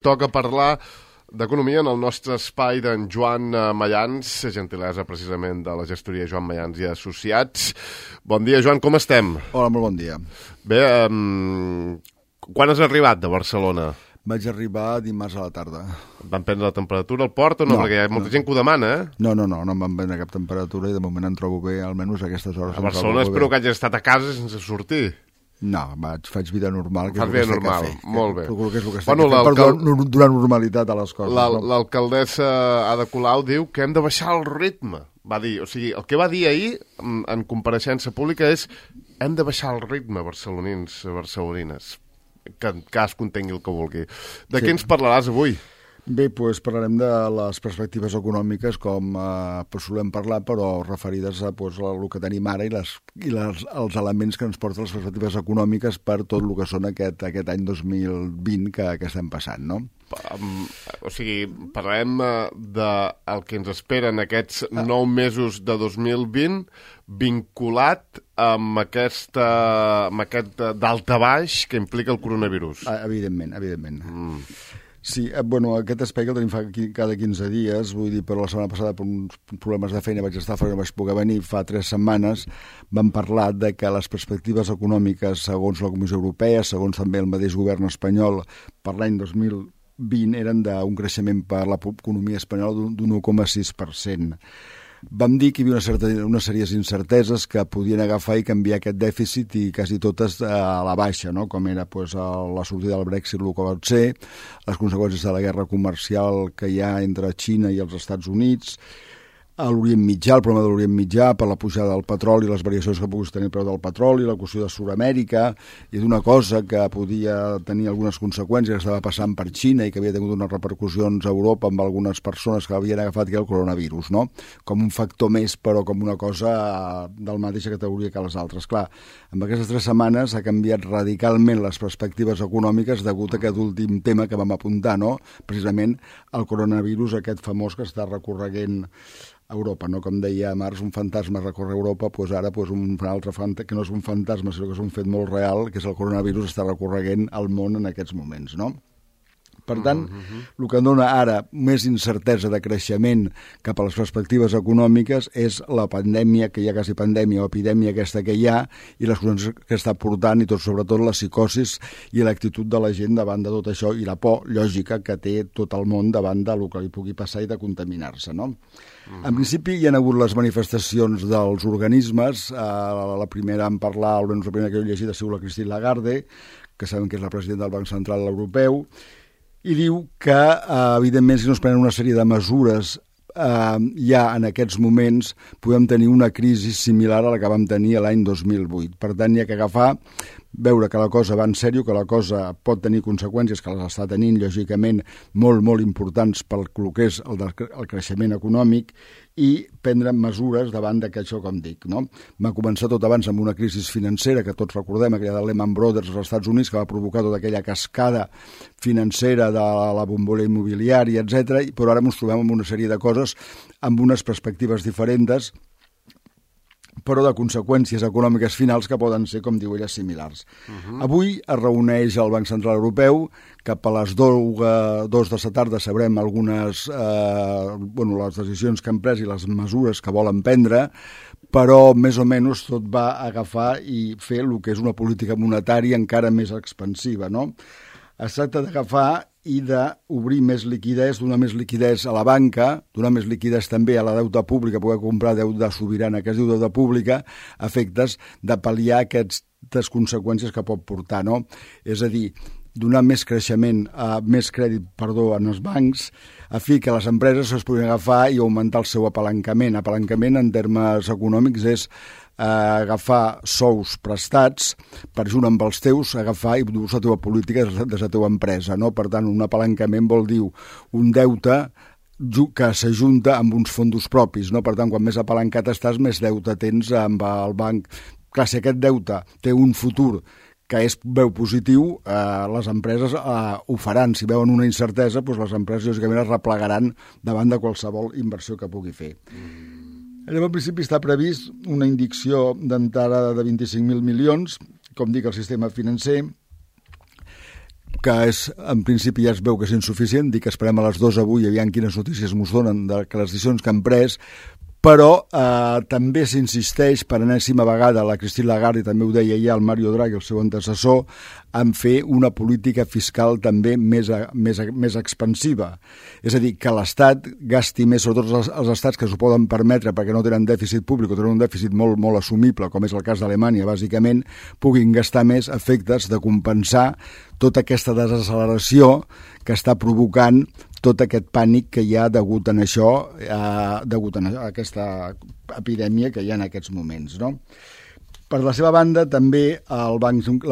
Toca parlar d'economia en el nostre espai d'en Joan Mayans, gentilesa precisament de la gestoria Joan Mayans i Associats. Bon dia, Joan, com estem? Hola, molt bon dia. Bé, quan has arribat de Barcelona? Vaig arribar dimarts a la tarda. Et van prendre la temperatura al port o no? Perquè hi ha molta gent que ho demana, eh? No em van prendre cap temperatura i de moment em trobo bé, almenys a aquestes hores. A Barcelona espero que hagis estat a casa sense sortir. No, faig vida normal. Fas vida normal, molt bé. Procuro que és el que estic fent per donar normalitat a les coses. L'alcaldessa Ada Colau diu que hem de baixar el ritme. Va dir, o sigui, el que va dir ahir en compareixença pública és hem de baixar el ritme, barcelonins, barcelonines. Que cadascun tingui el que vulgui. De què ens parlaràs avui? Bé, doncs parlarem de les perspectives econòmiques com solem parlar, però referides a el que tenim ara i els elements que ens porten les perspectives econòmiques per tot el que són aquest any 2020 que estem passant, no? O sigui, parlarem del que ens esperen aquests 9 mesos de 2020 vinculat amb aquest daltabaix que implica el coronavirus. Evidentment. Sí, aquest espai que el tenim cada 15 dies, vull dir, però la setmana passada per uns problemes de feina vaig estar fora i no vaig poder venir, fa 3 setmanes vam parlar de que les perspectives econòmiques, segons la Comissió Europea, segons també el mateix govern espanyol, per l'any 2020 eren d'un creixement per l'economia espanyola d'un 1,6%. Vam dir que hi havia una sèrie d'incerteses que podien agafar i canviar aquest dèficit i quasi totes a la baixa, no? Com era la sortida del Brexit, el que va ser, les conseqüències de la guerra comercial que hi ha entre Xina i els Estats Units, a l'Orient Mitjà, el problema de l'Orient Mitjà per la pujada del petroli, les variacions que pogués tenir el preu del petroli, la qüestió de Sud-amèrica, i d'una cosa que podia tenir algunes conseqüències que estava passant per Xina i que havia tingut unes repercussions a Europa amb algunes persones que havien agafat el coronavirus, no? Com un factor més, però com una cosa de la mateixa categoria que les altres. Clar, en aquestes 3 setmanes ha canviat radicalment les perspectives econòmiques degut a aquest últim tema que vam apuntar, no? Precisament el coronavirus, aquest famós que està recorreguent Europa, no? Com deia Marx, un fantasma recorre Europa, doncs ara un altre fantasma, que no és un fantasma, sinó que és un fet molt real, que és el coronavirus, està recorreguent el món en aquests moments, no? Per tant, el que dona ara més incertesa de creixement cap a les perspectives econòmiques és la pandèmia, que hi ha quasi pandèmia o epidèmia aquesta que hi ha, i les coses que està portant, i sobretot la psicosis i l'actitud de la gent davant de tot això, i la por lògica que té tot el món davant del que li pugui passar i de contaminar-se, no? En principi hi ha hagut les manifestacions dels organismes, la primera en parlar, almenys la primera que jo he llegit ha sigut la Christine Lagarde, que sabem que és la presidenta del Banc Central Europeu, i diu que, evidentment, si no es prenen una sèrie de mesures ja en aquests moments podem tenir una crisi similar a la que vam tenir l'any 2008. Per tant, hi ha que agafar, veure que la cosa va en sèrio, que la cosa pot tenir conseqüències, que les està tenint, lògicament, molt, molt importants pel que és el creixement econòmic, i prendre mesures davant d'aquest, com dic, no? Va començar tot abans amb una crisi financera, que tots recordem, aquella de Lehman Brothers als Estats Units, que va provocar tota aquella cascada financera de la bombolla immobiliària, etc. Però ara ens trobem amb una sèrie de coses amb unes perspectives diferents, però de conseqüències econòmiques finals que poden ser, com diu ella, similars. Avui es reuneix el Banc Central Europeu, cap a les 2 de la tarda sabrem algunes les decisions que han pres i les mesures que volen prendre, però més o menys tot va agafar i fer el que és una política monetària encara més expansiva, no? Es tracta d'agafar i d'obrir més liquidez, donar més liquidez a la banca, donar més liquidez també a la deuta pública, poder comprar deuta sobirana, que es diu deuta pública, a efectes de pal·liar aquestes conseqüències que pot portar, no? És a dir, donar més creixement, més crèdit, en els bancs, a fi que les empreses es puguin agafar i augmentar el seu apalancament. Apalancament, en termes econòmics, és agafar sous prestats per junt amb els teus, agafar i dur la teva política des de la teva empresa, no? Per tant, un apalancament vol dir un deute que s'ajunta amb uns fons propis, no? Per tant, quan més apalancat estàs, més deute tens amb el banc. Clar, si aquest deute té un futur que veu positiu, les empreses ho faran. Si veuen una incertesa, doncs les empreses lògicament es replegaran davant de qualsevol inversió que pugui fer. Llavors, al principi està previst una injecció d'entrada de 25.000 milions, com dic, al sistema financer, que en principi ja es veu que és insuficient, dic que esperem a les 2 avui, aviam quines notícies ens donen de que les decisions que han pres, però també s'insisteix per enèsima vegada, la Christine Lagarde, i també ho deia ja el Mario Draghi, el seu antecessor, en fer una política fiscal també més expansiva. És a dir, que l'Estat gasti més, sobretot els estats que s'ho poden permetre perquè no tenen dèficit públic o tenen un dèficit molt, molt assumible, com és el cas d'Alemanya, bàsicament, puguin gastar més a efectes de compensar tota aquesta desacceleració que està provocant tot aquest pànic que hi ha degut a això, degut a aquesta epidèmia que hi ha en aquests moments, no? Per la seva banda, també la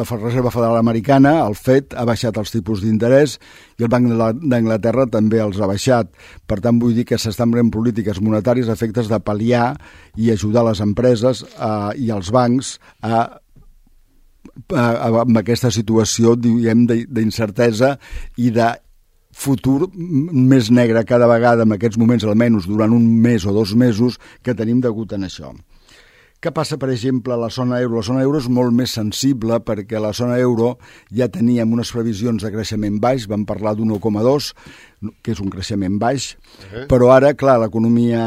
Reserva Federal Americana, el FED, ha baixat els tipus d'interès i el Banc d'Anglaterra també els ha baixat. Per tant, vull dir que s'estan prenent polítiques monetàries a efectes de pal·liar i ajudar les empreses i els bancs amb aquesta situació, diguem, d'incertesa i de futur més negre cada vegada, en aquests moments almenys durant un mes o 2 mesos, que tenim degut a això. Què passa, per exemple, a la zona euro? La zona euro és molt més sensible perquè a la zona euro ja teníem unes previsions de creixement baix, vam parlar d'1,2, que és un creixement baix, però ara, clar, l'economia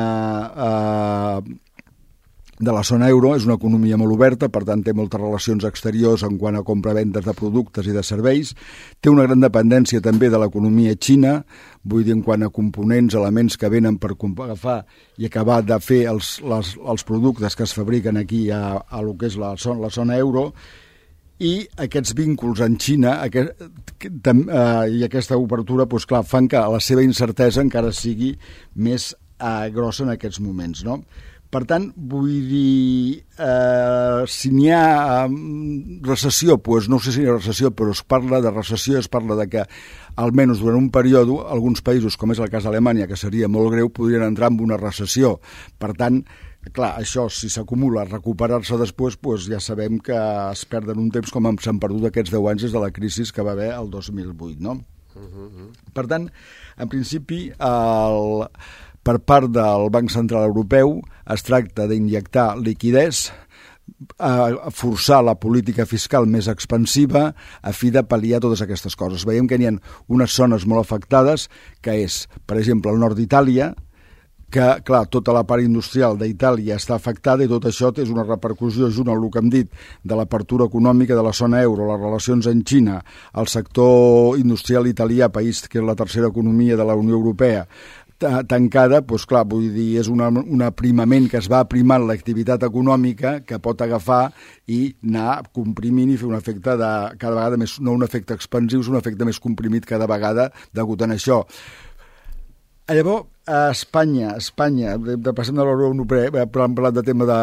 de la zona euro és una economia molt oberta, per tant té moltes relacions exteriors en quant a compra-vendes de productes i de serveis, té una gran dependència també de l'economia xina, vull dir en quant a components, elements que venen per agafar i acabar de fer els productes que es fabriquen aquí a lo que és la zona euro, i aquests vínculs en Xina i aquesta obertura, doncs clar, fan que la seva incertesa encara sigui més grossa en aquests moments, no? Per tant, vull dir, si n'hi ha recessió, doncs no sé si hi ha recessió, però es parla de recessió, es parla de que, almenys durant un període, alguns països, com és el cas d'Alemanya, que seria molt greu, podrien entrar en una recessió. Per tant, clar, això, si s'acumula, recuperar-se després, doncs ja sabem que es perden un temps com s'han perdut aquests 10 anys des de la crisi que va haver el 2008, no? Per tant, en principi, per part del Banc Central Europeu es tracta d'injectar liquiditat, forçar la política fiscal més expansiva a fi de pal·liar totes aquestes coses. Veiem que hi ha unes zones molt afectades, que és, per exemple, el nord d'Itàlia, que, clar, tota la part industrial d'Itàlia està afectada i tot això és una repercussió, junt amb el que hem dit, de l'apertura econòmica de la zona euro, les relacions amb Xina, el sector industrial italià, país que és la tercera economia de la Unió Europea, tancada, doncs clar, vull dir, és un aprimament que es va aprimant l'activitat econòmica que pot agafar i anar comprimint i fer un efecte de cada vegada més, no un efecte expansiu, és un efecte més comprimit cada vegada degut a això. Llavors, a Espanya, passem de la Unió Europea, hem parlat de tema de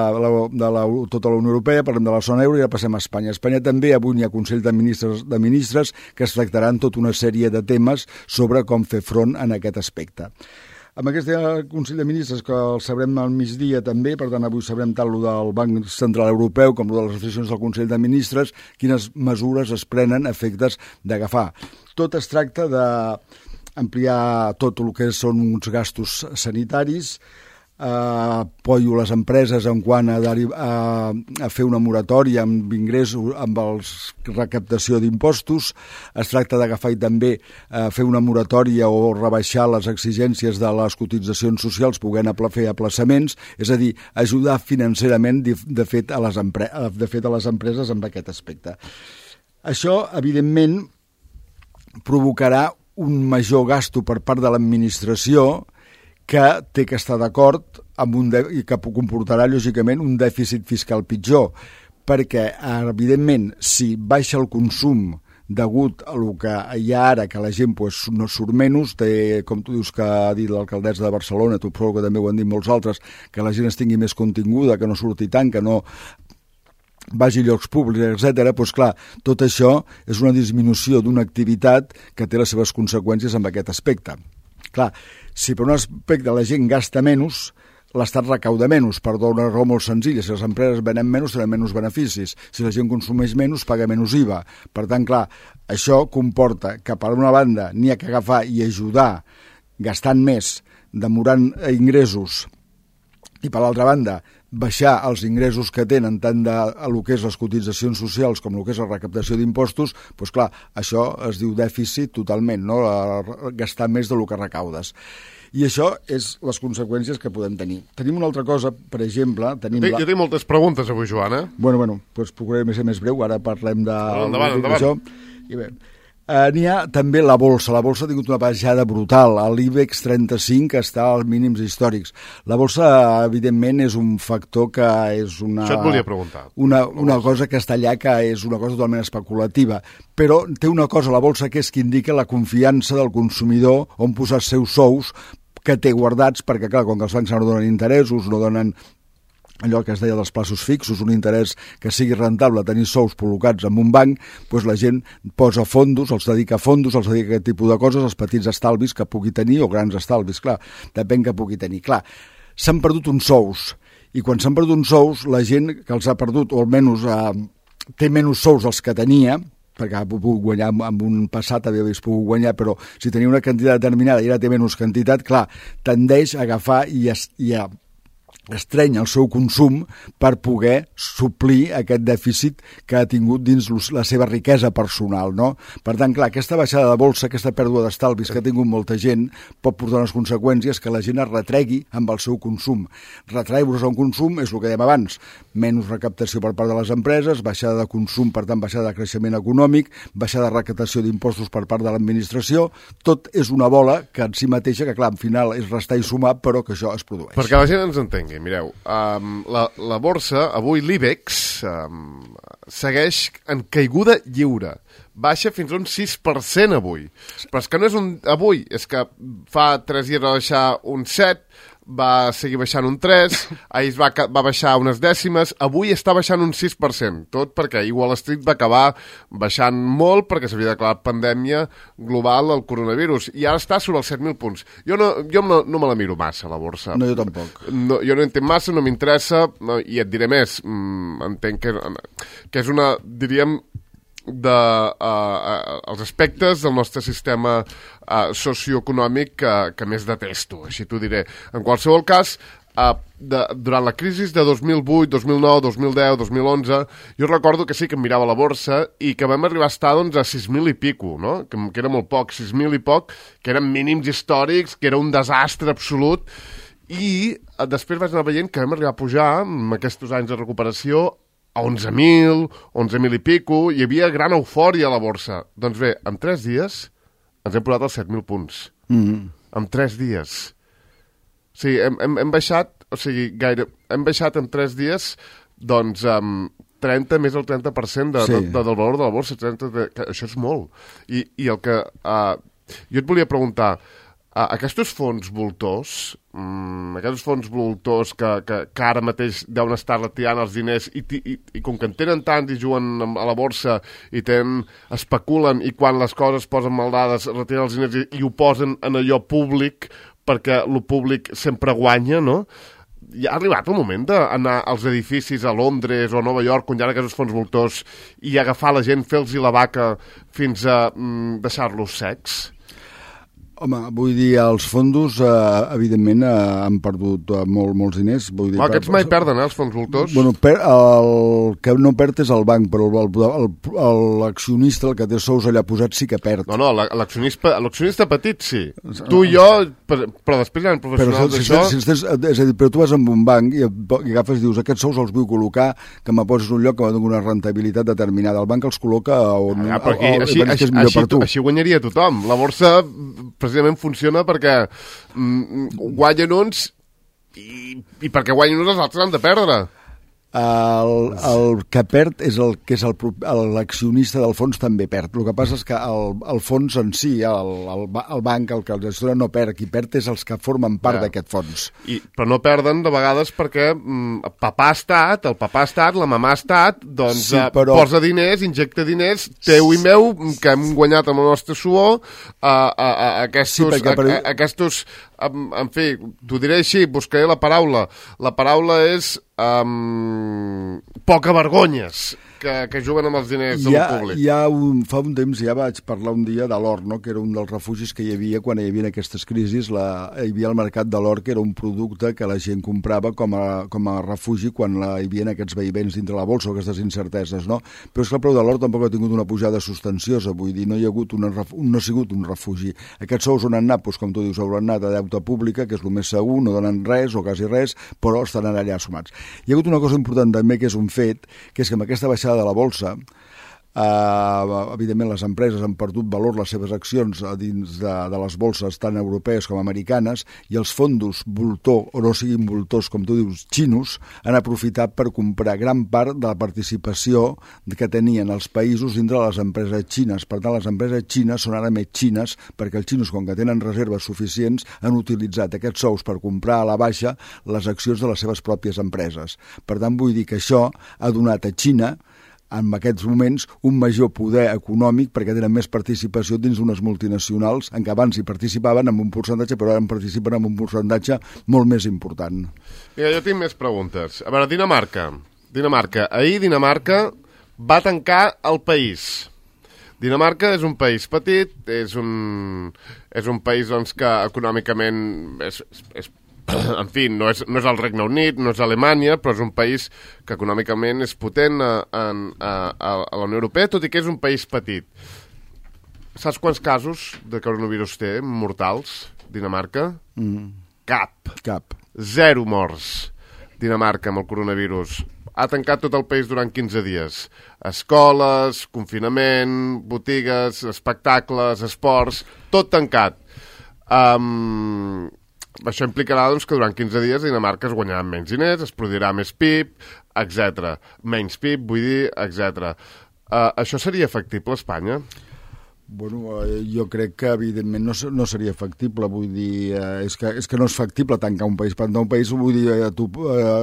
tota la Unió Europea, parlem de la zona euro i ja passem a Espanya. A Espanya també avui hi ha Consell de Ministres que es tractaran tota una sèrie de temes sobre com fer front en aquest aspecte. Amb aquest Consell de Ministres, que el sabrem al migdia també, per tant avui sabrem tant el del Banc Central Europeu com el de les decisions del Consell de Ministres, quines mesures es prenen a efectes d'agafar. Tot es tracta d'ampliar tot el que són uns gastos sanitaris, apoyo les empreses en quant a fer una moratòria amb ingressos, amb recaptació d'impostos. Es tracta d'agafar i també fer una moratòria o rebaixar les exigències de les cotitzacions socials podent fer aplaçaments, és a dir, ajudar financerament de fet a les empreses en aquest aspecte. Això, evidentment, provocarà un major gasto per part de l'administració que té que estar d'acord i que comportarà, lògicament, un dèficit fiscal pitjor, perquè, evidentment, si baixa el consum degut a el que hi ha ara, que la gent no surt menys, té, com tu dius que ha dit l'alcaldessa de Barcelona, tu prou que també ho han dit molts altres, que la gent es tingui més continguda, que no surti tant, que no vagi a llocs públics, etc. Doncs clar, tot això és una disminució d'una activitat que té les seves conseqüències en aquest aspecte. Clar, si per un aspecte la gent gasta menys, l'Estat recauda menys, per una raó molt senzilla. Si les empreses venen menys, tenen menys beneficis. Si la gent consumeix menys, paga menys IVA. Per tant, clar, això comporta que, per una banda, n'hi ha que agafar i ajudar gastant més, demorant ingressos, i per l'altra banda, baixar els ingressos que tenen tant de el que és les cotitzacions socials com el que és la recaptació d'impostos, doncs clar, això es diu dèficit totalment, no? Gastar més del que recaudes. I això és les conseqüències que podem tenir. Tenim una altra cosa, per exemple... Jo tinc moltes preguntes avui, Joan, Bueno, doncs procuraré ser més breu, ara parlem de... Endavant. I bé, n'hi ha també la bolsa. La bolsa ha tingut una baixada brutal. L'IBEX 35 està als mínims històrics. La bolsa, evidentment, és un factor que és una... Això et volia preguntar. Una cosa que està allà, que és una cosa totalment especulativa. Però té una cosa, la bolsa, que és que indica la confiança del consumidor on posar els seus sous que té guardats, perquè, clar, com que els bancs no donen interessos, no donen allò que es deia dels plaços fixos, un interès que sigui rentable tenir sous col·locats en un banc, doncs la gent posa fondos, els dedica a fondos, els dedica a aquest tipus de coses, els petits estalvis que pugui tenir, o grans estalvis, clar, depèn que pugui tenir. Clar, s'han perdut uns sous, i quan s'han perdut uns sous, la gent que els ha perdut, o almenys té menys sous dels que tenia, perquè ha pogut guanyar en un passat, havia pogut guanyar, però si tenia una quantitat determinada i ara té menys quantitat, clar, tendeix a agafar i a estreny el seu consum per poder suplir aquest dèficit que ha tingut dins la seva riquesa personal, no? Per tant, clar, aquesta baixada de bolsa, aquesta pèrdua d'estalvis que ha tingut molta gent pot portar unes conseqüències que la gent es retregui amb el seu consum. Retreure-se a un consum és el que dèiem abans, menys recaptació per part de les empreses, baixada de consum, per tant, baixada de creixement econòmic, baixada de recaptació d'impostos per part de l'administració, tot és una bola que en si mateixa, que clar, al final és restar i sumar, però que això es produeix. Perquè la gent ens entengui, mireu, la borsa, avui l'IBEX, segueix en caiguda lliure. Baixa fins a un 6% avui. Però és que no és avui, és que fa 3 dies va baixar un 7%, va seguir baixant un 3%, ahir va baixar unes dècimes, avui està baixant un 6%, tot perquè Wall Street va acabar baixant molt perquè s'havia declarat pandèmia global del coronavirus, i ara està sobre els 7.000 punts. Jo no me la miro massa, la borsa. No, jo tampoc. Jo no entenc massa, no m'interessa, i et diré més, entenc que és una, diríem, els aspectes del nostre sistema socioeconòmic que més detesto, així t'ho diré. En qualsevol cas, durant la crisi de 2008, 2009, 2010, 2011, jo recordo que sí que em mirava la borsa i que vam arribar a estar doncs, a 6.000 i pico, no? Que era molt poc, 6.000 i poc, que eren mínims històrics, que era un desastre absolut, i després vaig anar veient que vam arribar a pujar, en aquests anys de recuperació, a 11.000 i pico, hi havia gran eufòria a la borsa. Doncs bé, en 3 dies ens hem posat als 7.000 punts. En 3 dies. O sigui, hem baixat, hem baixat en 3 dies, doncs, més del 30% del valor de la borsa. Això és molt. I el que... jo et volia preguntar, aquests fons voltors, que ara mateix deuen estar retirant els diners i com que en tenen tant i juguen a la borsa i especulen, i quan les coses posen maldades retiren els diners i ho posen en allò públic perquè el públic sempre guanya, no? Ja ha arribat el moment d'anar als edificis a Londres o a Nova York, on hi ha aquests fons voltors, i agafar la gent, fer-los la vaca fins a deixar-los secs? Home, vull dir, els fondos, evidentment, han perdut molts diners. Vull dir, aquests mai perden, els fons voltors? Bueno, el que no perd és el banc, però l'accionista, el que té sous allà posats, sí que perd. No, l'accionista petit sí. Tu i jo, però després hi ha professionals d'això... És a dir, però tu vas amb un banc i agafes i dius, aquests sous els vull col·locar, que me poses un lloc que va donar una rentabilitat determinada. El banc els col·loca on és millor per tu. Així guanyaria tothom. La borsa precisament funciona perquè guanyen uns i perquè guanyen uns els altres han de perdre. El que perd és l'accionista del fons també perd. El que passa és que el fons en si, el banc, el que el gestiona no perd, qui perd és els que formen part d'aquest fons. Però no perden de vegades perquè el papà ha estat, la mamà ha estat, doncs sí, posa diners, injecta diners, teu i meu, que hem guanyat amb el nostre suor, aquests, en fi, t'ho diré així, buscaré la paraula. La paraula és poca vergonyes. que juguen amb els diners del públic. Fa un temps ja vaig parlar un dia de l'or, no? Que era un dels refugis que hi havia quan hi havia aquestes crisis. Hi havia el mercat de l'or, que era un producte que la gent comprava com a refugi quan hi havia aquests vaivents dintre la bolsa o aquestes incerteses, no? Però és que el preu de l'or tampoc ha tingut una pujada substanciosa, vull dir, no hi ha hagut no ha sigut un refugi. Aquests sous on han anat, doncs, com tu dius, hauran anat a deute pública, que és el més segur, no donen res o quasi res, però estan allà sumats. Hi ha hagut una cosa important també, que és un fet, que és que amb aquesta baixada de la bolsa, evidentment les empreses han perdut valor les seves accions dins de les bolses tant europees com americanes, i els fondos voltor, o no siguin voltors, com tu dius, xinos, han aprofitat per comprar gran part de la participació que tenien els països dintre de les empreses xines. Per tant, les empreses xines són ara més xines, perquè els xinos, com que tenen reserves suficients, han utilitzat aquests sous per comprar a la baixa les accions de les seves pròpies empreses. Per tant, vull dir que això ha donat a Xina en aquests moments un major poder econòmic, perquè tenen més participació dins d'unes multinacionals en què abans hi participaven amb un percentatge, però ara participen amb un percentatge molt més important. Mira, jo tinc més preguntes. A veure, Dinamarca. Ahir Dinamarca va tancar el país. Dinamarca és un país petit, és un país doncs, que econòmicament és en fi, no és el Regne Unit, no és Alemanya, però és un país que econòmicament és potent a la Unió Europea, tot i que és un país petit. Saps quants casos de coronavirus té mortals, Dinamarca? Cap. 0 morts. Dinamarca amb el coronavirus. Ha tancat tot el país durant 15 dies. Escoles, confinament, botigues, espectacles, esports, tot tancat. Això implicarà doncs, que durant 15 dies Dinamarca es guanyaran menys diners, es produirà més PIB, etc. Menys PIB, vull dir, etc. Això seria factible a Espanya? Bueno, jo crec que evidentment no seria factible, vull dir, és que no és factible tancar un país. Un país, vull dir,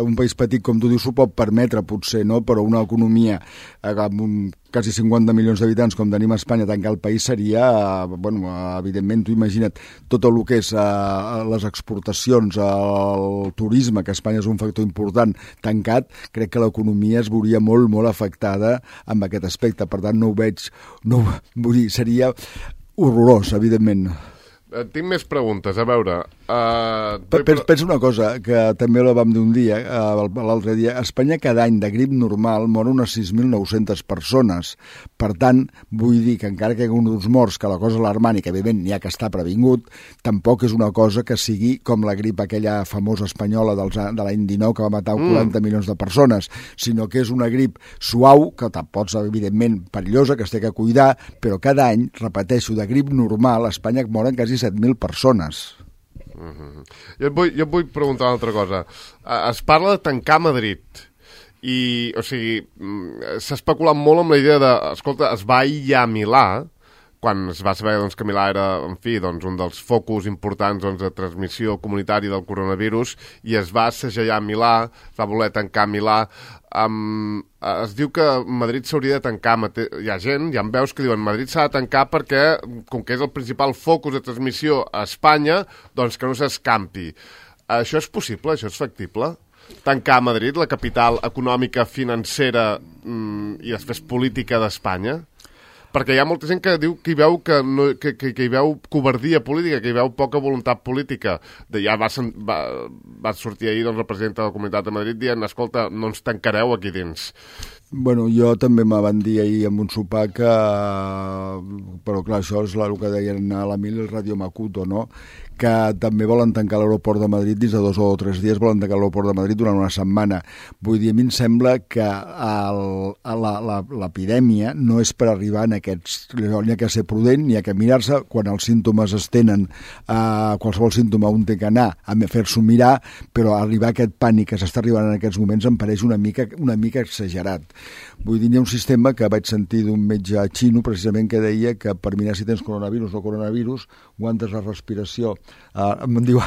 un país petit, com tu dius, s'ho pot permetre, potser, no? Però una economia amb quasi 50 milions d'habitants, com tenim a Espanya, tancar el país seria, bueno, evidentment, tu imagina't, tot el que és les exportacions, el turisme, que a Espanya és un factor important, tancat, crec que l'economia es veuria molt, molt afectada amb aquest aspecte. Per tant, no ho veig, vull dir, seria horrorós, evidentment. Tinc més preguntes, a veure... Pensa una cosa, que també la vam dir un dia, l'altre dia. A Espanya cada any de grip normal moren unes 6.900 persones. Per tant, vull dir que encara que hi ha uns morts, que la cosa alarmant i que evidentment n'hi ha que està previngut, tampoc és una cosa que sigui com la grip aquella famosa espanyola de l'any 19 que va matar 40 milions de persones, sinó que és una grip suau, que pots, evidentment, perillosa, que es té que cuidar, però cada any, repeteixo, de grip normal, a Espanya moren quasi 7.000 persones. Jo et vull preguntar una altra cosa. Es parla de tancar Madrid i, o sigui, s'ha especulat molt amb la idea de, escolta, es va aïllar Milà, quan es va saber doncs, que Milà era, en fi, doncs, un dels focus importants doncs, de transmissió comunitària del coronavirus, i es va segellar Milà, es va voler tancar Milà. Es diu que Madrid s'hauria de tancar. Hi ha veus que diuen Madrid s'ha de tancar perquè, com que és el principal focus de transmissió a Espanya, doncs que no s'escampi. Això és possible? Això és factible? Tancar Madrid, la capital econòmica, financera i després política d'Espanya? Perquè hi ha molta gent que diu que hi veu, que hi veu covardia política, que hi veu poca voluntat política. Ja va sortir ahir doncs, la presidenta de la Comunitat de Madrid dient, escolta, no ens tancareu aquí dins. Bueno, jo també me van dir ahir amb un sopar que... Però clar, això és el que deien a l'Emili el Radio Macuto, no? Que també volen tancar l'aeroport de Madrid dins de 2 o 3 dies, volen tancar l'aeroport de Madrid durant una setmana. Vull dir, a mi em sembla que l'epidèmia no és per arribar en aquests... N'hi ha que ser prudent, n'hi ha que mirar-se. Quan els símptomes es tenen, qualsevol símptoma un té que anar a fer-s'ho mirar, però arribar a aquest pànic que s'està arribant en aquests moments em pareix una mica exagerat. Vull dir, hi ha un sistema que vaig sentir d'un metge xino, precisament, que deia que per mirar si tens coronavirus o no coronavirus, aguantes la respiració. Em diu...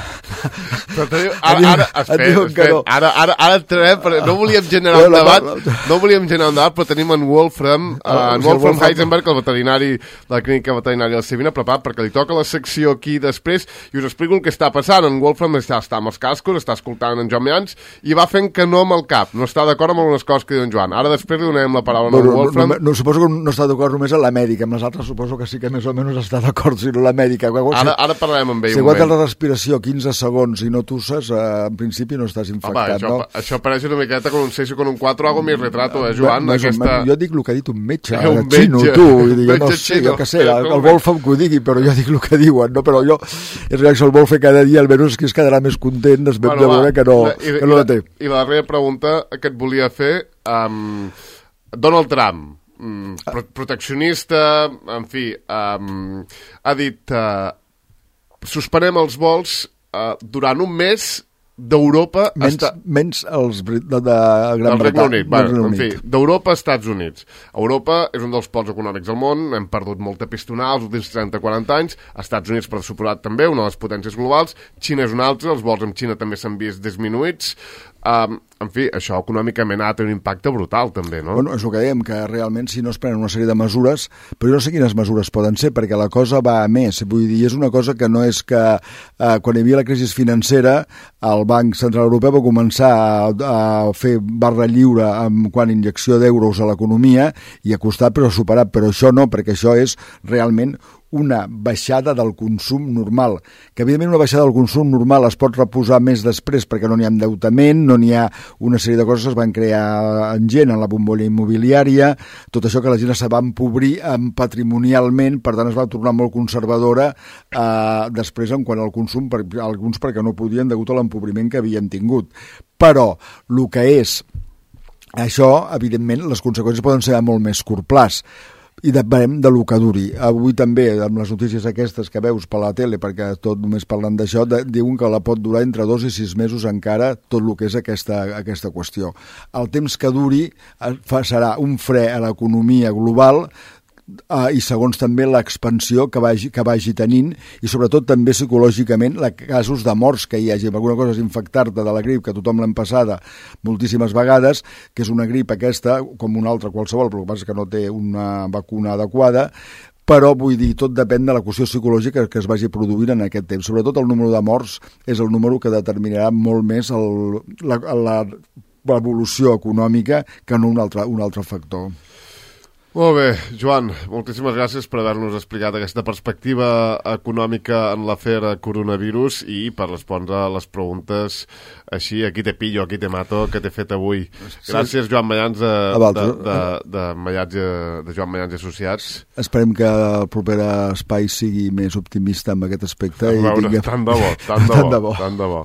Però ara entrarem, no volíem generar un debat, però tenim en Wolfram Heisenberg, el veterinari de la clínica veterinària de Sevilla, preparat perquè li toca la secció aquí després i us explico el que està passant. En Wolfram està amb els cascos, està escoltant en Joan Mayans i va fent que no amb el cap, no està d'acord amb algunes coses que diu en Joan. Ara després li donem la paraula a Wolfram. No, suposo que no està d'acord només amb la mèdica, amb les altres suposo que sí que més o menys està d'acord, si no la mèdica. Ara parlarem amb ell un moment. Si aguantes la respiració 15 segons i no tusses, en principi no estàs infectat, no? Això pareix una miqueta con un 6 o con un 4, hago mi retrato, Joan? Jo dic el que ha dit un metge, xino, tu, jo no sé, jo què sé, el Wolfram que ho digui, però jo dic el que diuen, no? Però jo, és que el Wolfram cada dia almenys es quedarà més content de veure que no la té. I la darrera pregunta que et volia fer, Donald Trump, proteccionista, en fi, ha dit suspenem els vols durant un mes d'Europa... Menys els de Gran Bretanya. En fi, d'Europa a Estats Units. Europa és un dels pols econòmics del món, hem perdut molta pistonada els últims 30-40 anys, Estats Units per suposat també, una de les potències globals, Xina és una altra, els vols amb Xina també s'han vist disminuïts. En fi, això econòmicament ha de tenir un impacte brutal també, no? Bueno, és el que dèiem, que realment si no es prenen una sèrie de mesures, però jo no sé quines mesures poden ser, perquè la cosa va a més, vull dir, és una cosa que no és que quan hi havia la crisi financera el Banc Central Europeu va començar a fer barra lliure amb quan injecció d'euros a l'economia i a costar però superat, però això no, perquè això és realment una baixada del consum normal, que evidentment una baixada del consum normal es pot reposar més després perquè no n'hi ha endeutament, no n'hi ha una sèrie de coses que es van crear en gent, en la bombolla immobiliària, tot això que la gent se va empobrir patrimonialment, per tant es va tornar molt conservadora després en quant al consum, alguns perquè no podien degut a l'empobriment que havien tingut. Però el que és això, evidentment, les conseqüències poden ser a molt més curt plaç. I depenent de lo que duri. Avui també, amb les notícies aquestes que veus per la tele, perquè tot només parlant d'això, diuen que la pot durar entre 2 i 6 mesos encara tot el que és aquesta qüestió. El temps que duri serà un fre a l'economia global i segons també l'expansió que vagi tenint i sobretot també psicològicament casos de morts que hi hagi. Alguna cosa és infectar-te de la grip, que tothom l'hem passada moltíssimes vegades, que és una grip aquesta com una altra qualsevol, però el que passa és que no té una vacuna adequada, però vull dir, tot depèn de la qüestió psicològica que es vagi produint en aquest temps. Sobretot el número de morts és el número que determinarà molt més l'evolució econòmica que no un altre factor. Molt bé, Joan, moltíssimes gràcies per haver-nos explicat aquesta perspectiva econòmica en l'afer coronavirus i per respondre a les preguntes així, aquí te pillo, aquí te mato, que t'he fet avui. Gràcies, Joan Mayans, de Joan Mayans i Associats. Esperem que el proper espai sigui més optimista en aquest aspecte. A veure, tant de bo.